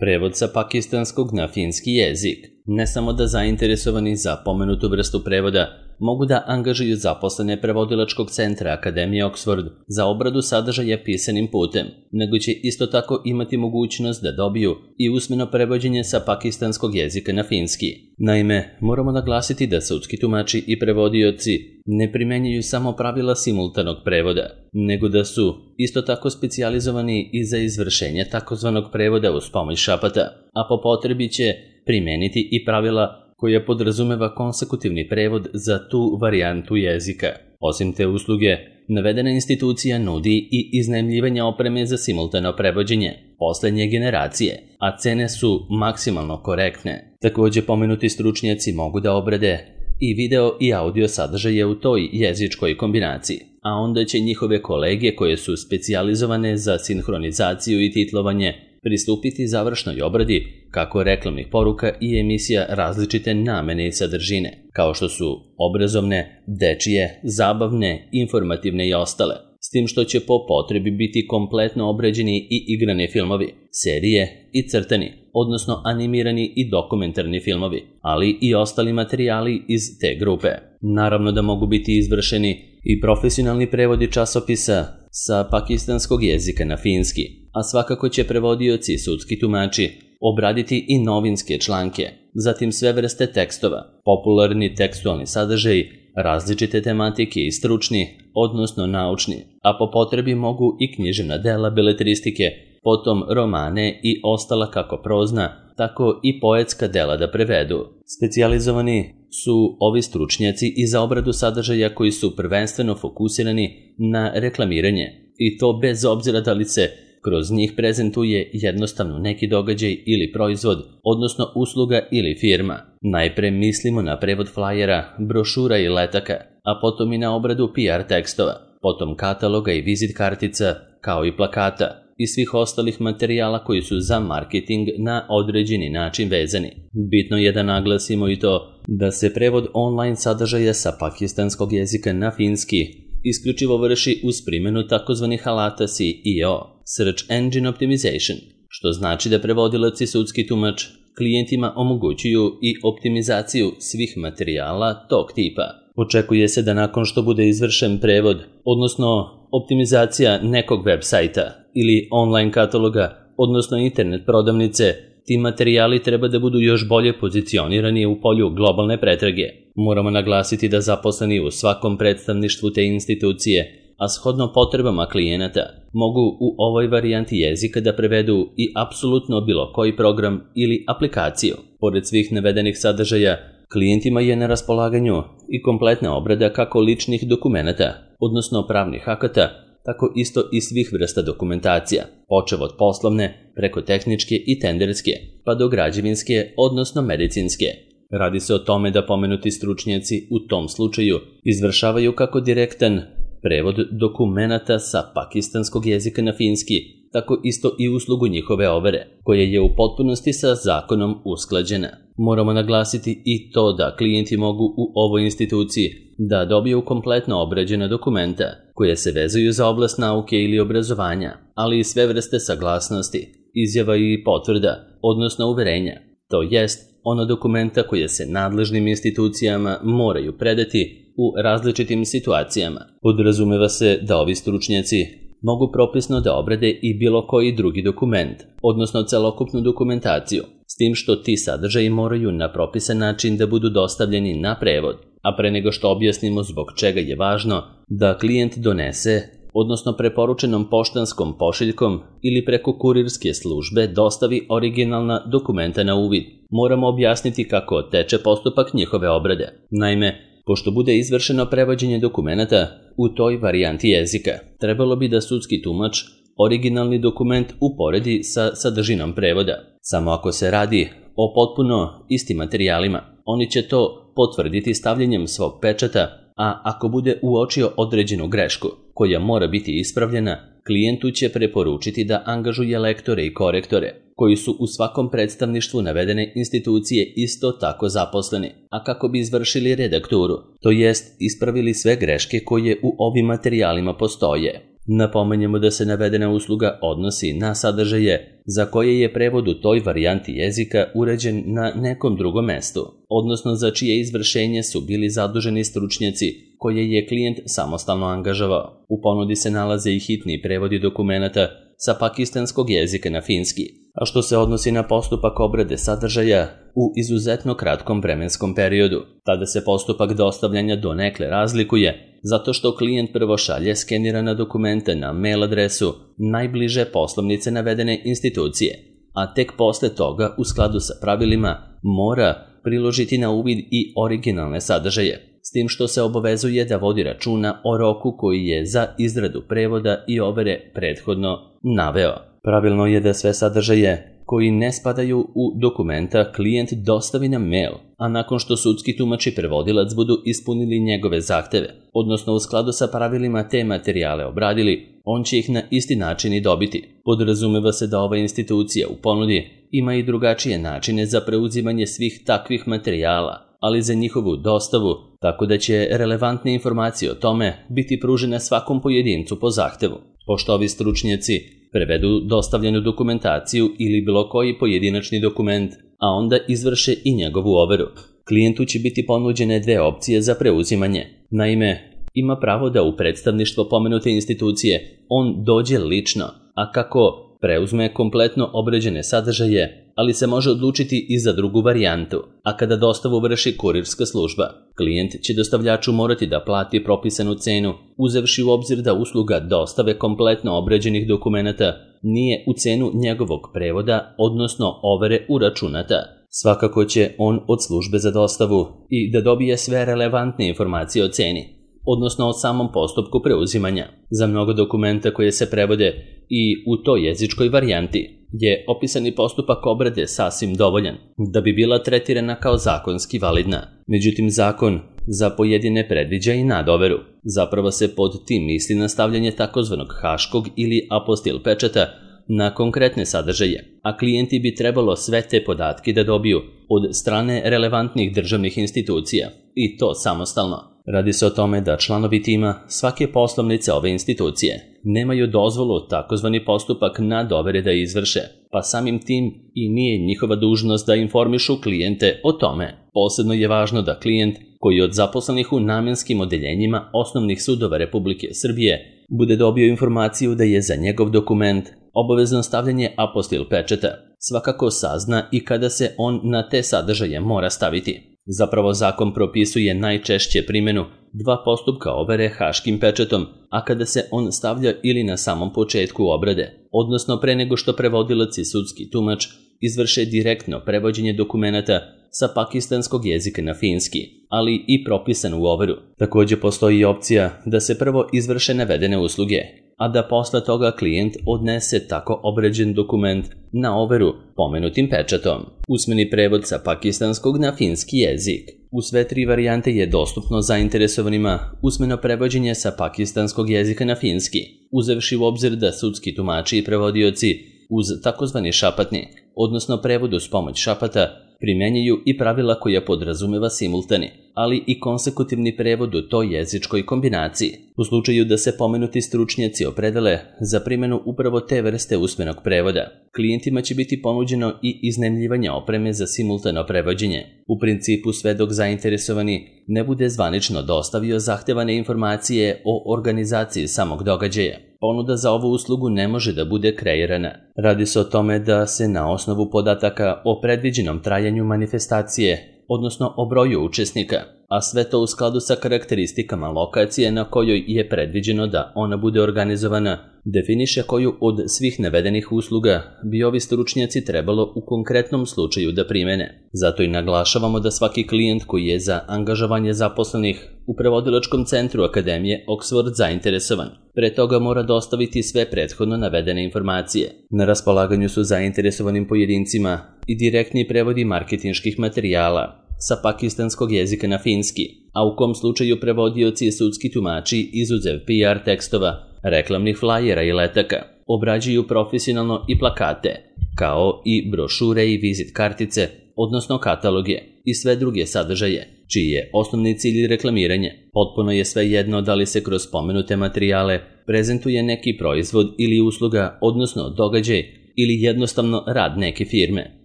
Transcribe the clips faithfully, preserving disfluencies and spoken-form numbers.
Prevod sa pakistanskog na finski jezik. Ne samo da zainteresovani za pomenutu vrstu prevoda mogu da angažuju zaposlene prevodilačkog centra Akademije Oxford za obradu sadržaja pisanim putem, nego će isto tako imati mogućnost da dobiju i usmeno prevođenje sa pakistanskog jezika na finski. Naime, moramo naglasiti da sudski tumači i prevodioci ne primenjuju samo pravila simultanog prevoda, nego da su isto tako specijalizovani i za izvršenje takozvanog prevoda uz pomoć šapata, a po potrebi će primeniti i pravila koja podrazumeva konsekutivni prevod za tu varijantu jezika. Osim te usluge, navedena institucija nudi i iznajmljivanje opreme za simultano prevođenje poslednje generacije, a cene su maksimalno korektne. Također pomenuti stručnjaci mogu da obrade i video i audio sadržaje u toj jezičkoj kombinaciji, a onda će njihove kolege koje su specijalizovane za sinhronizaciju i titlovanje pristupiti završnoj obradi kako reklamnih poruka i emisija različite namene i sadržine, kao što su obrazovne, dečije, zabavne, informativne i ostale, s tim što će po potrebi biti kompletno obrađeni i igrani filmovi, serije i crtani, odnosno animirani i dokumentarni filmovi, ali i ostali materijali iz te grupe. Naravno da mogu biti izvršeni i profesionalni prevodi časopisa sa pakistanskog jezika na finski, a svakako će prevodioci i sudski tumači obraditi i novinske članke, zatim sve vrste tekstova, popularni tekstualni sadržaj, različite tematike i stručni, odnosno naučni, a po potrebi mogu i književna dela beletristike, potom romane i ostala kako prozna, tako i poetska dela da prevedu. Specijalizovani su ovi stručnjaci i za obradu sadržaja koji su prvenstveno fokusirani na reklamiranje, i to bez obzira da li se kroz njih prezentuje jednostavno neki događaj ili proizvod, odnosno usluga ili firma. Najpre mislimo na prevod flajera, brošura i letaka, a potom i na obradu P R tekstova, potom kataloga i vizit kartica, kao i plakata i svih ostalih materijala koji su za marketing na određeni način vezani. Bitno je da naglasimo i to da se prevod online sadržaja sa pakistanskog jezika na finski isključivo vrši uz primjenu takozvanih alata S E O, Search Engine Optimization, što znači da prevodilac i sudski tumač klijentima omogućuju i optimizaciju svih materijala tog tipa. Očekuje se da nakon što bude izvršen prevod, odnosno optimizacija nekog web sajta ili online kataloga, odnosno internet prodavnice, ti materijali treba da budu još bolje pozicionirani u polju globalne pretrage. Moramo naglasiti da zaposleni u svakom predstavništvu te institucije, a shodno potrebama klijenata, mogu u ovoj varijanti jezika da prevedu i apsolutno bilo koji program ili aplikaciju. Pored svih navedenih sadržaja, klijentima je na raspolaganju i kompletna obrada kako ličnih dokumenata, odnosno pravnih akata, tako isto i svih vrsta dokumentacija, počev od poslovne, preko tehničke i tenderske, pa do građevinske, odnosno medicinske. Radi se o tome da pomenuti stručnjaci u tom slučaju izvršavaju kako direktan prevod dokumenata sa pakistanskog jezika na finski, tako isto i uslugu njihove overe, koja je u potpunosti sa zakonom usklađena. Moramo naglasiti i to da klijenti mogu u ovoj instituciji da dobiju kompletno obrađena dokumenta koje se vezuju za oblast nauke ili obrazovanja, ali i sve vrste saglasnosti, izjava i potvrda, odnosno uverenja, to jest ono dokumenta koje se nadležnim institucijama moraju predati u različitim situacijama. Podrazumeva se da ovi stručnjaci mogu propisno da obrade i bilo koji drugi dokument, odnosno celokupnu dokumentaciju, s tim što ti sadržaji moraju na propisan način da budu dostavljeni na prevod, a pre nego što objasnimo zbog čega je važno da klijent donese, odnosno preporučenom poštanskom pošiljkom ili preko kurirske službe dostavi originalna dokumenta na uvid, moramo objasniti kako teče postupak njihove obrade. Naime, pošto bude izvršeno prevođenje dokumenata u toj varijanti jezika, trebalo bi da sudski tumač originalni dokument uporedi sa sadržinom prevoda. Samo ako se radi o potpuno istim materijalima, oni će to potvrditi stavljanjem svog pečata, a ako bude uočio određenu grešku koja mora biti ispravljena, klijentu će preporučiti da angažuje lektore i korektore, koji su u svakom predstavništvu navedene institucije isto tako zaposleni, a kako bi izvršili redakturu, to jest ispravili sve greške koje u ovim materijalima postoje. Napomenjemo da se navedena usluga odnosi na sadržaje za koje je prevod u toj varijanti jezika uređen na nekom drugom mestu, odnosno za čije izvršenje su bili zaduženi stručnjaci koje je klijent samostalno angažovao. U ponudi se nalaze i hitni prevodi dokumenata sa pakistanskog jezika na finski, a što se odnosi na postupak obrade sadržaja u izuzetno kratkom vremenskom periodu. Tada se postupak dostavljanja donekle razlikuje, zato što klijent prvo šalje skenirana dokumenta na mail adresu najbliže poslovnice navedene institucije, a tek posle toga, u skladu sa pravilima, mora priložiti na uvid i originalne sadržaje, s tim što se obavezuje da vodi računa o roku koji je za izradu prevoda i overe prethodno naveo. Pravilno je da sve sadržaje koji ne spadaju u dokumenta klijent dostavi na mail, a nakon što sudski tumač i prevodilac budu ispunili njegove zahteve, odnosno u skladu sa pravilima te materijale obradili, on će ih na isti način i dobiti. Podrazumeva se da ova institucija u ponudi ima i drugačije načine za preuzimanje svih takvih materijala, ali za njihovu dostavu, tako da će relevantne informacije o tome biti pružene svakom pojedincu po zahtevu. Pošto ovi stručnjaci prevedu dostavljenu dokumentaciju ili bilo koji pojedinačni dokument, a onda izvrše i njegovu overu, klijentu će biti ponuđene dve opcije za preuzimanje. Naime, ima pravo da u predstavništvo pomenute institucije on dođe lično, a kako preuzme kompletno obrađene sadržaje, ali se može odlučiti i za drugu varijantu, a kada dostavu vrši kurirska služba. Klijent će dostavljaču morati da plati propisanu cenu, uzevši u obzir da usluga dostave kompletno obrađenih dokumenata nije u cenu njegovog prevoda, odnosno overe uračunata. Svakako će on od službe za dostavu i da dobije sve relevantne informacije o ceni, odnosno o samom postupku preuzimanja. Za mnogo dokumenta koje se prevode i u toj jezičkoj varijanti je opisani postupak obrade sasvim dovoljan da bi bila tretirana kao zakonski validna. Međutim, zakon za pojedine predviđa i nadoveru. Zapravo se pod tim misli na stavljanje takozvanog haškog ili apostil pečata na konkretne sadržaje, a klijenti bi trebalo sve te podatke da dobiju od strane relevantnih državnih institucija, i to samostalno. Radi se o tome da članovi tima svake poslovnice ove institucije nemaju dozvolu takozvani postupak nadovere da izvrše, pa samim tim i nije njihova dužnost da informišu klijente o tome. Posebno je važno da klijent koji od zaposlenih u namenskim odeljenjima osnovnih sudova Republike Srbije bude dobio informaciju da je za njegov dokument obavezno stavljanje apostil pečata, svakako sazna i kada se on na te sadržaje mora staviti. Zapravo zakon propisuje najčešće primjenu dva postupka overe haškim pečatom, a kada se on stavlja ili na samom početku obrade, odnosno pre nego što prevodilac i sudski tumač izvrše direktno prevođenje dokumenata sa pakistanskog jezika na finski, ali i propisanu overu. Također postoji i opcija da se prvo izvrše navedene usluge, a da posle toga klijent odnese tako obrađen dokument na overu pomenutim pečatom. Usmeni prevod sa pakistanskog na finski jezik. U sve tri varijante je dostupno zainteresovanima usmeno prevođenje sa pakistanskog jezika na finski, uzevši u obzir da sudski tumači i prevodioci uz takozvani šapatni, odnosno prevod uz pomoć šapata, primjenjuju i pravila koja podrazumeva simultani, ali i konsekutivni prevod u toj jezičkoj kombinaciji. U slučaju da se pomenuti stručnjaci opredele za primjenu upravo te vrste usmenog prevoda, klijentima će biti ponuđeno i iznajmljivanje opreme za simultano prevođenje. U principu sve dok zainteresovani ne bude zvanično dostavio zahtevane informacije o organizaciji samog događaja, ponuda za ovu uslugu ne može da bude kreirana. Radi se o tome da se na osnovu podataka o predviđenom trajanju manifestacije, odnosno o broju učesnika, a sve to u skladu sa karakteristikama lokacije na kojoj je predviđeno da ona bude organizovana, definiše koju od svih navedenih usluga bi ovi stručnjaci trebalo u konkretnom slučaju da primene. Zato i naglašavamo da svaki klijent koji je za angažovanje zaposlenih u prevodilačkom centru Akademije Oxford zainteresovan, pre toga mora dostaviti sve prethodno navedene informacije. Na raspolaganju su zainteresovanim pojedincima i direktni prevodi marketinških materijala sa pakistanskog jezika na finski, a u kom slučaju prevodioci i sudski tumači izuzev P R tekstova, reklamnih flajera i letaka, obrađuju profesionalno i plakate, kao i brošure i vizit kartice, odnosno kataloge i sve druge sadržaje, čiji je osnovni cilj reklamiranje. Potpuno je svejedno da li se kroz spomenute materijale prezentuje neki proizvod ili usluga, odnosno događaj, ili jednostavno rad neke firme,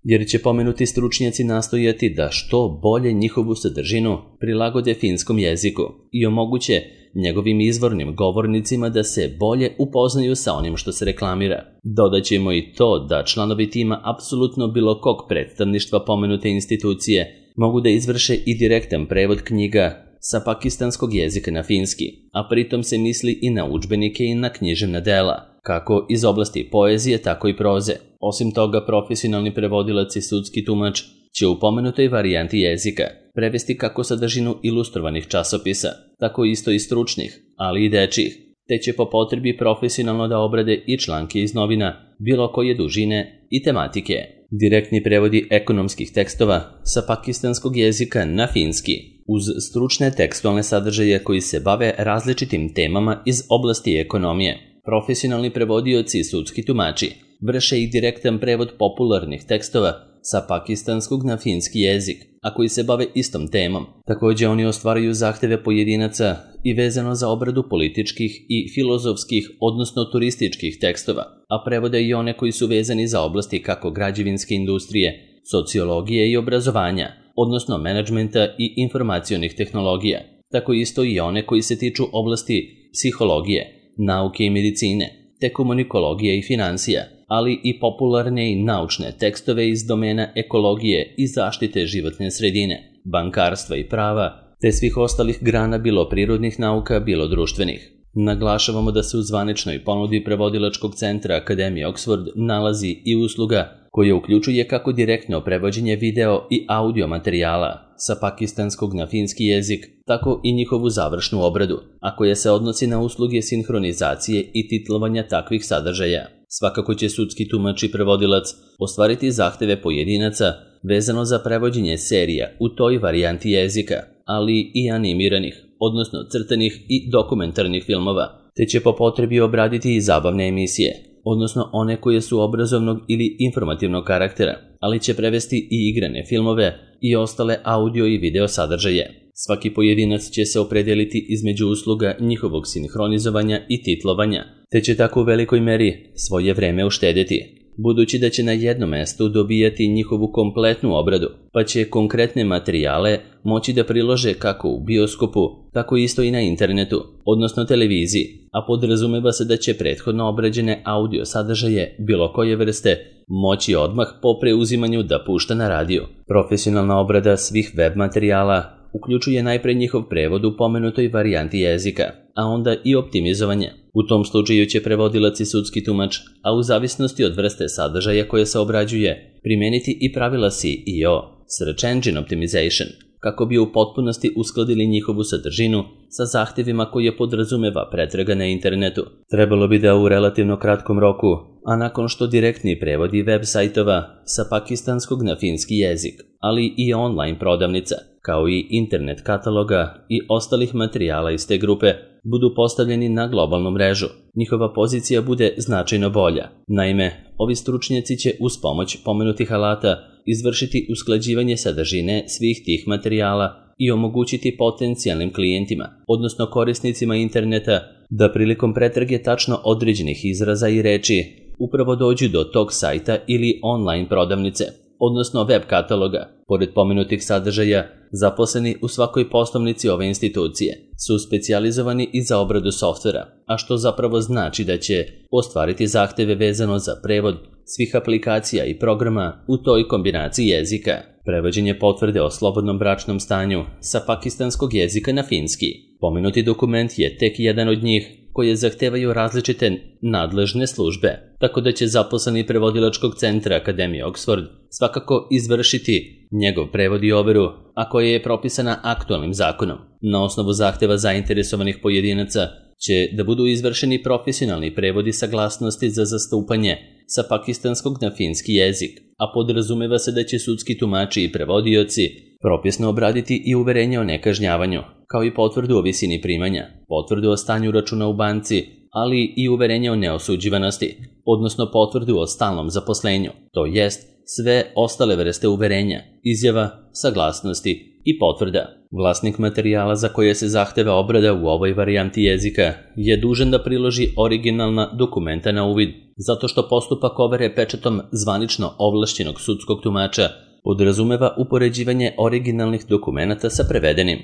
jer će pomenuti stručnjaci nastojati da što bolje njihovu sadržinu prilagode finskom jeziku i omoguće njegovim izvornim govornicima da se bolje upoznaju sa onim što se reklamira. Dodaćemo i to da članovi tima apsolutno bilo kog predstavništva pomenute institucije mogu da izvrše i direktan prevod knjiga sa pakistanskog jezika na finski, a pritom se misli i na udžbenike i na književna dela, kako iz oblasti poezije, tako i proze. Osim toga, profesionalni prevodilac i sudski tumač će u pomenutoj varijanti jezika prevesti kako sadržinu ilustrovanih časopisa, tako isto i stručnih, ali i dečijih, te će po potrebi profesionalno da obrade i članke iz novina, bilo koje dužine i tematike. Direktni prevodi ekonomskih tekstova sa pakistanskog jezika na finski, uz stručne tekstualne sadržaje koji se bave različitim temama iz oblasti ekonomije. Profesionalni prevodioci i sudski tumači vrše i direktan prevod popularnih tekstova sa pakistanskog na finski jezik, a koji se bave istom temom. Također oni ostvaruju zahteve pojedinaca i vezano za obradu političkih i filozofskih, odnosno turističkih tekstova, a prevode i one koji su vezani za oblasti kako građevinske industrije, sociologije i obrazovanja, odnosno menadžmenta i informacionih tehnologija. Tako isto i one koji se tiču oblasti psihologije, nauke i medicine, te komunikologije i financija, ali i popularne i naučne tekstove iz domena ekologije i zaštite životne sredine, bankarstva i prava, te svih ostalih grana bilo prirodnih nauka, bilo društvenih. Naglašavamo da se u zvaničnoj ponudi prevodilačkog centra Akademije Oxford nalazi i usluga koja uključuje kako direktno prevođenje video i audio materijala sa pakistanskog na finski jezik, tako i njihovu završnu obradu, a koja se odnosi na usluge sinhronizacije i titlovanja takvih sadržaja. Svakako će sudski tumač i prevodilac ostvariti zahteve pojedinaca vezano za prevođenje serija u toj varijanti jezika, ali i animiranih, odnosno crtanih i dokumentarnih filmova, te će po potrebi obraditi i zabavne emisije, odnosno one koje su obrazovnog ili informativnog karaktera, ali će prevesti i igrane filmove i ostale audio i video sadržaje. Svaki pojedinac će se opredeliti između usluga njihovog sinhronizovanja i titlovanja, te će tako u velikoj meri svoje vreme uštedjeti, budući da će na jednom mestu dobijati njihovu kompletnu obradu, pa će konkretne materijale moći da prilože kako u bioskopu, tako isto i na internetu, odnosno televiziji, a podrazumeva se da će prethodno obrađene audio sadržaje bilo koje vrste moći odmah po preuzimanju da pušta na radiju. Profesionalna obrada svih web materijala uključuje najpre njihov prevod u pomenutoj varijanti jezika, a onda i optimizovanje. U tom slučaju će prevodilac i sudski tumač, a u zavisnosti od vrste sadržaja koje se obrađuje, primeniti i pravila S E O, Search Engine Optimization, kako bi u potpunosti uskladili njihovu sadržinu sa zahtjevima koje podrazumeva pretraga na internetu. Trebalo bi da u relativno kratkom roku, a nakon što direktni prevodi web sajtova sa pakistanskog na finski jezik, ali i online prodavnica, kao i internet kataloga i ostalih materijala iz te grupe, budu postavljeni na globalnu mrežu, njihova pozicija bude značajno bolja. Naime, ovi stručnjaci će uz pomoć pomenutih alata izvršiti usklađivanje sadržine svih tih materijala i omogućiti potencijalnim klijentima, odnosno korisnicima interneta, da prilikom pretrage tačno određenih izraza i reči upravo dođu do tog sajta ili online prodavnice, odnosno web kataloga. Pored pomenutih sadržaja, zaposleni u svakoj poslovnici ove institucije su specijalizovani i za obradu softvera, a što zapravo znači da će ostvariti zahteve vezano za prevod svih aplikacija i programa u toj kombinaciji jezika. Prevođenje potvrde o slobodnom bračnom stanju sa pakistanskog jezika na finski. Pomenuti dokument je tek jedan od njih koje zahtevaju različite nadležne službe, tako da će zaposleni prevodilačkog centra Akademije Oxford svakako izvršiti njegov prevod i overu, a koja je propisana aktualnim zakonom. Na osnovu zahteva zainteresovanih pojedinaca će da budu izvršeni profesionalni prevodi saglasnosti za zastupanje sa pakistanskog na finski jezik, a podrazumeva se da će sudski tumači i prevodioci propisno obraditi i uverenje o nekažnjavanju, kao i potvrdu o visini primanja, potvrdu o stanju računa u banci, ali i uverenje o neosuđivanosti, odnosno potvrdu o stalnom zaposlenju, to jest sve ostale vrste uverenja, izjava, saglasnosti i potvrda. Vlasnik materijala za koje se zahteva obrada u ovoj varijanti jezika je dužan da priloži originalna dokumenta na uvid, zato što postupak overe pečatom zvanično ovlašćenog sudskog tumača podrazumeva upoređivanje originalnih dokumenata sa prevedenim.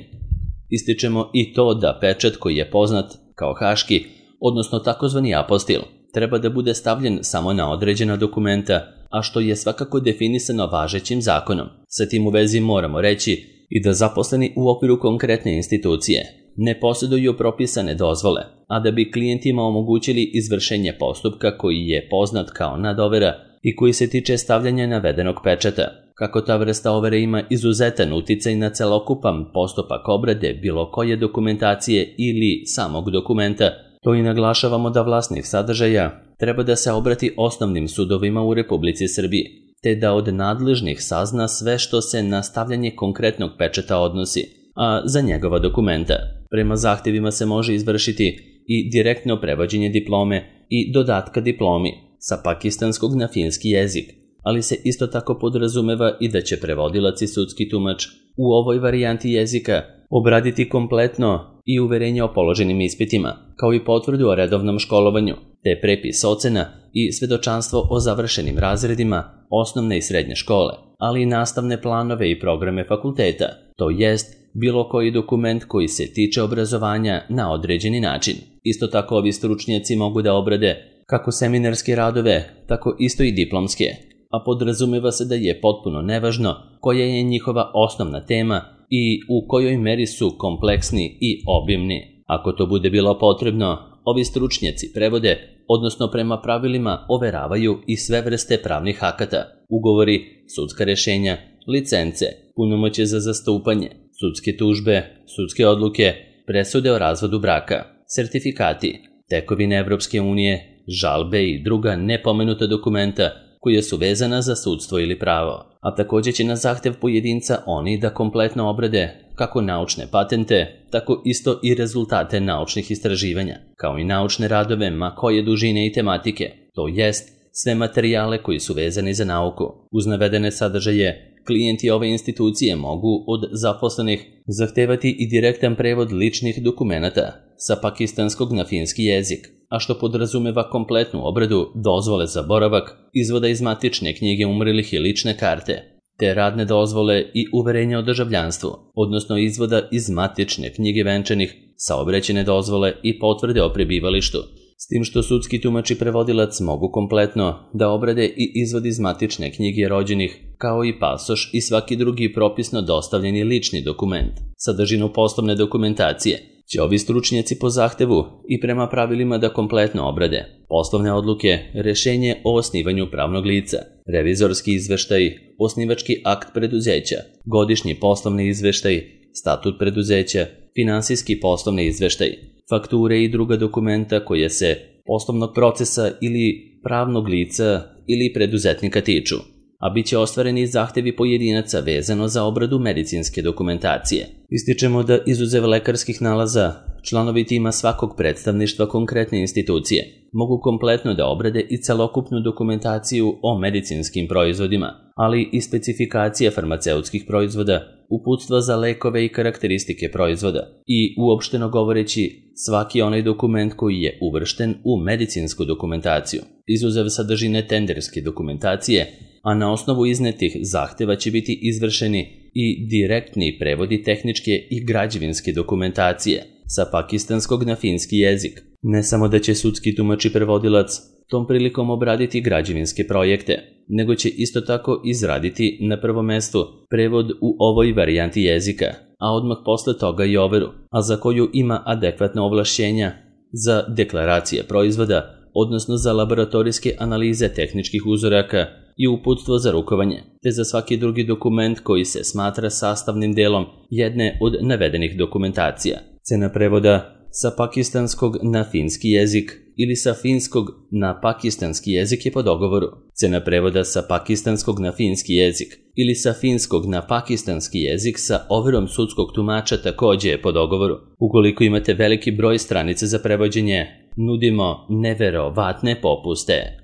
Ističemo i to da pečat koji je poznat kao haški, odnosno takozvani apostil, treba da bude stavljen samo na određena dokumenta, a što je svakako definisano važećim zakonom. Sa tim u vezi moramo reći i da zaposleni u okviru konkretne institucije ne posjeduju propisane dozvole, a da bi klijentima omogućili izvršenje postupka koji je poznat kao nadovera i koji se tiče stavljanja navedenog pečata. Kako ta vrsta overe ima izuzetan uticaj na celokupan postupak obrade bilo koje dokumentacije ili samog dokumenta, to i naglašavamo da vlasnik sadržaja treba da se obrati osnovnim sudovima u Republici Srbiji, te da od nadležnih sazna sve što se na stavljanje konkretnog pečata odnosi, a za njegova dokumenta. Prema zahtjevima se može izvršiti i direktno prevođenje diplome i dodatka diplomi sa pakistanskog na finski jezik, ali se isto tako podrazumeva i da će prevodilac i sudski tumač u ovoj varijanti jezika obraditi kompletno i uverenje o položenim ispitima, kao i potvrdu o redovnom školovanju, te prepis ocena i svedočanstvo o završenim razredima osnovne i srednje škole, ali i nastavne planove i programe fakulteta, to jest bilo koji dokument koji se tiče obrazovanja na određeni način. Isto tako ovi stručnjaci mogu da obrade kako seminarske radove, tako isto i diplomske, a podrazumeva se da je potpuno nevažno koja je njihova osnovna tema i u kojoj meri su kompleksni i obimni. Ako to bude bilo potrebno, ovi stručnjaci prevode, odnosno prema pravilima overavaju i sve vrste pravnih akata, ugovori, sudska rešenja, licence, punomoćje za zastupanje, sudske tužbe, sudske odluke, presude o razvodu braka, sertifikati, tekovine Evropske unije, žalbe i druga nepomenuta dokumenta koja su vezana za sudstvo ili pravo, a također će na zahtev pojedinca oni da kompletno obrade kako naučne patente, tako isto i rezultate naučnih istraživanja, kao i naučne radove ma koje dužine i tematike, to jest sve materijale koji su vezani za nauku. Uz navedene sadržaje, klijenti ove institucije mogu od zaposlenih zahtevati i direktan prevod ličnih dokumenata sa pakistanskog na finski jezik, a što podrazumeva kompletnu obradu dozvole za boravak, izvoda iz matične knjige umrlih i lične karte, te radne dozvole i uverenja o državljanstvu, odnosno izvoda iz matične knjige venčanih, saobraćajne dozvole i potvrde o prebivalištu, s tim što sudski tumač i prevodilac mogu kompletno da obrade i izvod iz matične knjige rođenih, kao i pasoš i svaki drugi propisno dostavljeni lični dokument. Sadržinu poslovne dokumentacije će ovi stručnjaci po zahtevu i prema pravilima da kompletno obrade poslovne odluke, rešenje o osnivanju pravnog lica, revizorski izveštaj, osnivački akt preduzeća, godišnji poslovni izveštaj, statut preduzeća, finansijski poslovni izveštaj, fakture i druga dokumenta koje se poslovnog procesa ili pravnog lica ili preduzetnika tiču, a bit će ostvareni zahtevi pojedinaca vezano za obradu medicinske dokumentacije. Ističemo da izuzev lekarskih nalaza, članovi tima svakog predstavništva konkretne institucije mogu kompletno da obrade i celokupnu dokumentaciju o medicinskim proizvodima, ali i specifikacije farmaceutskih proizvoda, uputstva za lekove i karakteristike proizvoda i, uopšteno govoreći, svaki onaj dokument koji je uvršten u medicinsku dokumentaciju, izuzev sadržine tenderske dokumentacije, a na osnovu iznetih zahteva će biti izvršeni i direktni prevodi tehničke i građevinske dokumentacije sa pakistanskog na finski jezik. Ne samo da će sudski tumač i prevodilac tom prilikom obraditi građevinske projekte, nego će isto tako izraditi na prvom mestu prevod u ovoj varijanti jezika, a odmah posle toga i overu, a za koju ima adekvatna ovlašćenja za deklaracije proizvoda, odnosno za laboratorijske analize tehničkih uzoraka i uputstvo za rukovanje, te za svaki drugi dokument koji se smatra sastavnim delom jedne od navedenih dokumentacija. Cena prevoda sa pakistanskog na finski jezik ili sa finskog na pakistanski jezik je po dogovoru. Cena prevoda sa pakistanskog na finski jezik ili sa finskog na pakistanski jezik sa overom sudskog tumača također je po dogovoru. Ukoliko imate veliki broj stranica za prevođenje, nudimo neverovatne popuste.